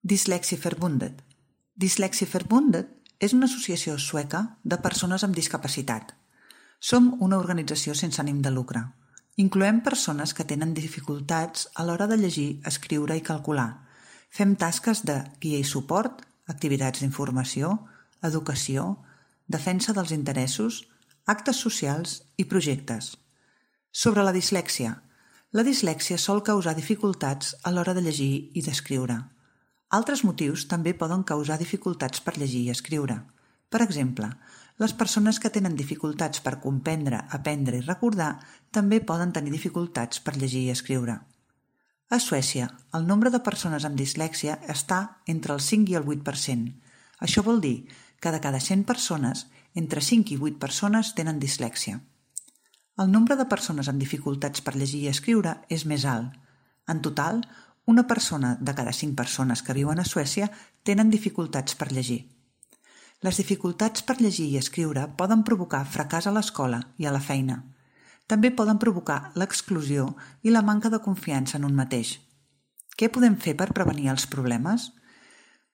Dyslexieförbundet. Dyslexieförbundet és una associació sueca de persones amb discapacitat. Som una organització sense ànim de lucre. Incloem persones que tenen dificultats a l'hora de llegir, escriure i calcular. Fem tasques de guia i suport, activitats d'informació, educació, defensa dels interessos, actes socials i projectes. Sobre la dislèxia. La dislèxia sol causar dificultats a l'hora de llegir i d'escriure. Altres motius també poden causar dificultats per llegir i escriure. Per exemple, les persones que tenen dificultats per comprendre, aprendre i recordar també poden tenir dificultats per llegir i escriure. A Suècia, el nombre de persones amb dislèxia està entre el 5 i el 8%. Això vol dir que de cada 100 persones, entre 5 i 8 persones tenen dislèxia. El nombre de persones amb dificultats per llegir i escriure és més alt. En total, una persona de cada 5 persones que viuen a Suècia tenen dificultats per llegir. Les dificultats per llegir i escriure poden provocar fracàs a l'escola i a la feina. També poden provocar l'exclusió i la manca de confiança en un mateix. Què podem fer per prevenir els problemes?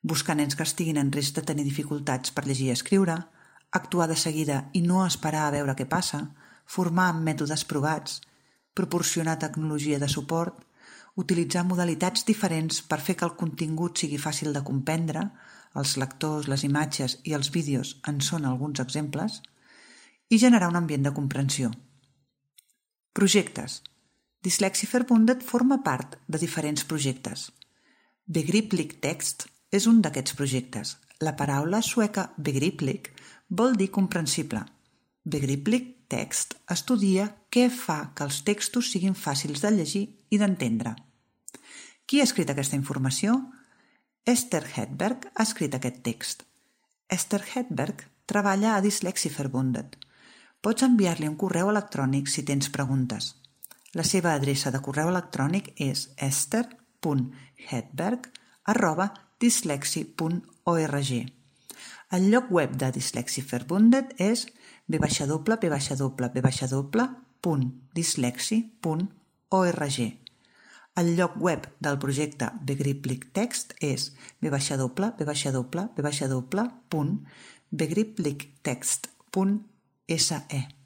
Buscar nens que estiguin en risc de tenir dificultats per llegir i escriure, actuar de seguida i no esperar a veure què passa, formar amb mètodes provats, proporcionar tecnologia de suport, utilitzar modalitats diferents per fer que el contingut sigui fàcil de comprendre, els lectors, les imatges i els vídeos en són alguns exemples, i generar un ambient de comprensió. Projectes. Dyslexieförbundet forma part de diferents projectes. Begriplig Text és un d'aquests projectes. La paraula sueca begriplig vol dir comprensible. Begriplig Text estudia què fa que els textos siguin fàcils de llegir i d'entendre. Qui ha escrit aquesta informació? Esther Hedberg ha escrit aquest text. Esther Hedberg treballa a Dyslexieförbundet. Pots enviar-li un correu electrònic si tens preguntes. La seva adreça de correu electrònic és esther.hedberg@dyslexie.org. El lloc web de Dyslexieförbundet és www.dyslexie.org. El lloc web del projecte Begriplig Text és www.begripligtext.se.